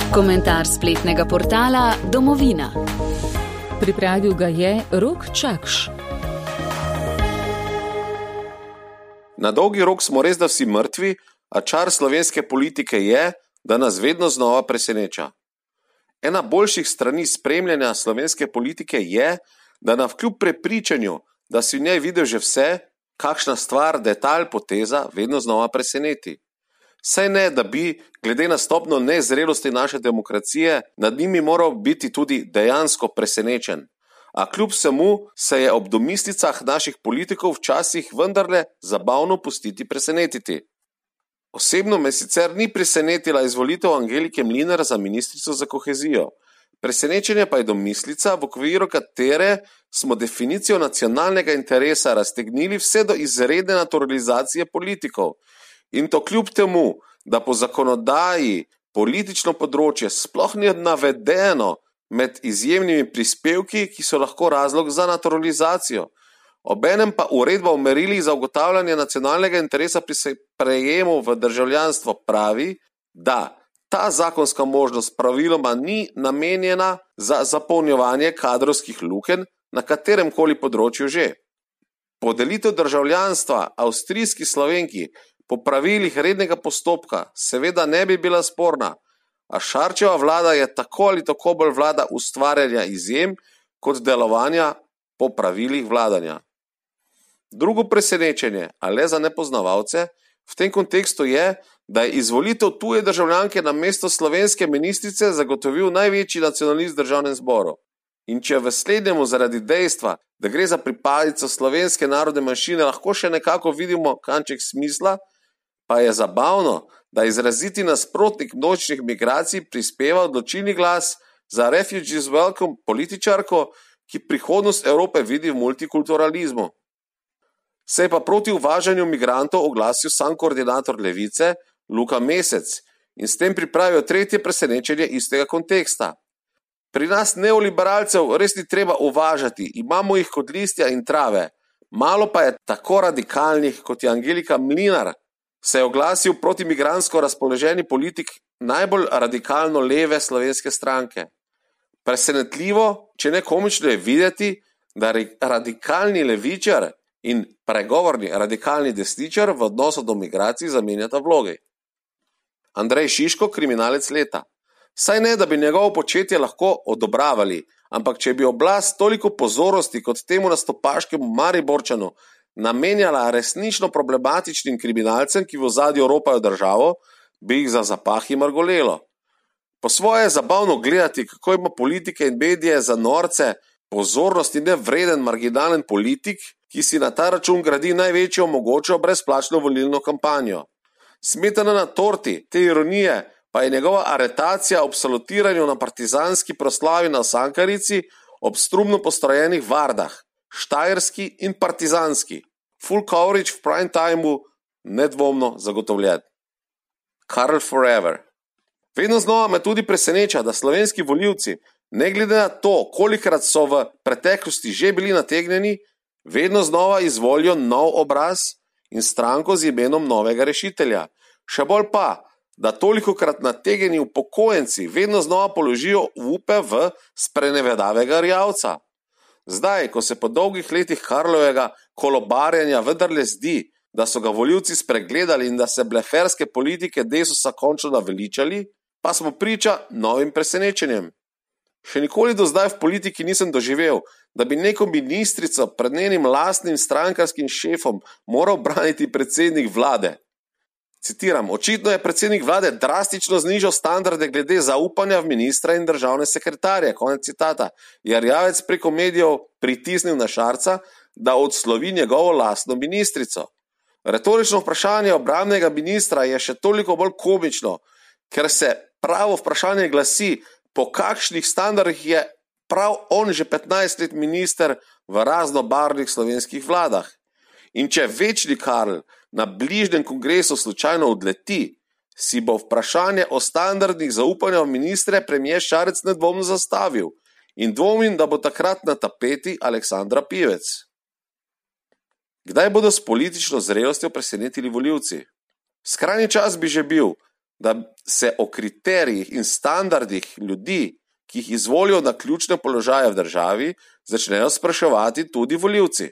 Komentar spletnega portala Domovina. Pripravil ga je Rok Čakš. Na dolgi rok smo res da vsi mrtvi, a čar slovenske politike je, da nas vedno znova preseneča. Ena boljših strani spremljanja slovenske politike je, da navkljub prepričanju, da si v njej videl že vse, kakšna stvar, detalj, poteza vedno znova preseneti. Saj ne, da bi, glede na stopnjo nezrelosti naše demokracije, nad njimi moral biti tudi dejansko presenečen. A kljub vsemu se je ob domislicah naših politikov včasih vendarle zabavno pustiti presenetiti. Osebno me sicer ni presenetila izvolitev Angelike Mlinar za ministrico za kohezijo. Presenečenje pa je domislica, v okviru katere smo definicijo nacionalnega interesa raztegnili vse do izredne naturalizacije politikov. In to kljub temu, da po zakonodaji politično področje sploh ni navedeno med izjemnimi prispevki, ki so lahko razlog za naturalizacijo. Obenem pa uredba o merilih za ugotavljanje nacionalnega interesa pri sprejemu v državljanstvo pravi, da ta zakonska možnost praviloma ni namenjena za zapolnjevanje kadrovskih lukenj na kateremkoli področju že. Podelitev državljanstva avstrijski Slovenki po pravilih rednega postopka seveda ne bi bila sporna, a Šarčeva vlada je tako ali tako bolj vlada ustvarjanja izjem kot delovanja po pravilih vladanja. Drugo presenečenje, a le za nepoznavalce, v tem kontekstu je, da je izvolitev tuje državljanke na mesto slovenske ministrice zagotovil največji nacionalist v državnem zboru. In če v slednjemu zaradi dejstva, da gre za pripadnico slovenske narodne manjšine, lahko še nekako vidimo kanček smisla, pa je zabavno, da izraziti nasprotnik množičnih migracij prispeva odločilni glas za Refugees Welcome političarko, ki prihodnost Evrope vidi v multikulturalizmu. Se je pa proti uvažanju migrantov oglasil sam koordinator Levice, Luka Mesec, in s tem pripravijo tretje presenečenje istega konteksta. Pri nas neoliberalcev res ni treba uvažati, imamo jih kot listja in trave. Malo pa je tako radikalnih, kot je Angelika Mlinar, se je oglasil proti migrantsko razpoloženi politik najbolj radikalno leve slovenske stranke. Presenetljivo, če ne komično je videti, da radikalni levičar in pregovorni radikalni desničar v odnosu do migracij zamenjata vlogi. Andrej Šiško, kriminalec leta. Saj ne, da bi njegovo početje lahko odobravali, ampak če bi oblast toliko pozornosti kot temu nastopaškemu Mariborčanu namenjala resnično problematičnim kriminalcem, ki v ozadju ropajo državo, bi jih za zapahi margolelo. Po svoje je zabavno gledati, kako ima politike in medije za norce pozornosti nevreden marginalen politik, ki si na ta račun gradi največjo mogočo brezplačno volilno kampanjo. Smetana na torti te ironije pa je njegova aretacija ob salutiranju na partizanski proslavi na Sankarici ob strumno postrojenih vardah, štajerski in partizanski. Full coverage v prime timeu nedvomno zagotovljen. Karl Forever. Vedno znova me tudi preseneča, da slovenski volivci, ne glede na to, kolikrat so v preteklosti že bili nategnjeni, vedno znova izvolijo nov obraz in stranko z imenom novega rešitelja. Še bolj pa, da tolikokrat nategnjeni upokojenci vedno znova položijo upe v sprenevedavega rjavca. Zdaj, ko se po dolgih letih Karlovega kolobarjenja vendarle zdi, da so ga volivci spregledali in da se bleferske politike Desusa končno naveličali, pa smo priča novim presenečenjem. Še nikoli do zdaj v politiki nisem doživel, da bi neko ministrico pred njenim lastnim strankarskim šefom moral braniti predsednik vlade. Citiram, očitno je predsednik vlade drastično znižal standarde glede zaupanja v ministra in državne sekretarje, konec citata, je rjavec preko medijev pritisnil na Šarca, da odslovi njegovo lastno ministrico. Retorično vprašanje obrambnega ministra je še toliko bolj komično, ker se pravo vprašanje glasi, po kakšnih standardih je prav on že 15 let minister v raznobarvnih slovenskih vladah. In če večni Karl na bližnjem kongresu slučajno odleti, si bo vprašanje o standardnih zaupanja v ministre premijer Šarec nedvomno zastavil in dvomim, da bo takrat na tapeti Aleksandra Pivec. Kdaj bodo s politično zrelostjo presenetili volivci? Skrajni čas bi že bil, da se o kriterijih in standardih ljudi, ki jih izvolijo na ključne položaje v državi, začnejo spraševati tudi volivci.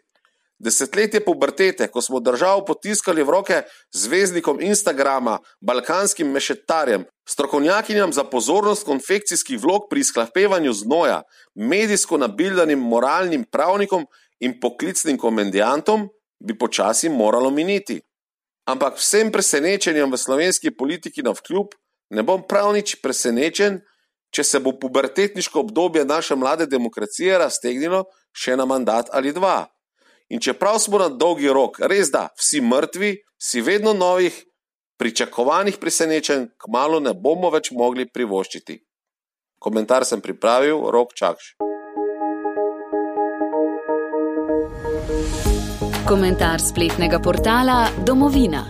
Desetletje pubertete, ko smo državo potiskali v roke zvezdnikom Instagrama, balkanskim mešetarjem, strokovnjakinjam za pozornost konfekcijskih vlog pri izhlapevanju znoja, medijsko nabildanim moralnim pravnikom in poklicnim komendantom, bi počasi moralo miniti. Ampak vsem presenečenjem v slovenski politiki navkljub ne bom prav nič presenečen, če se bo pubertetniško obdobje naše mlade demokracije raztegnilo še na mandat ali dva. In čeprav smo na dolgi rok res da vsi mrtvi, si vedno novih, pričakovanih presenečenj kmalu ne bomo več mogli privoščiti. Komentar sem pripravil, Rok Čakš. Komentar spletnega portala Domovina.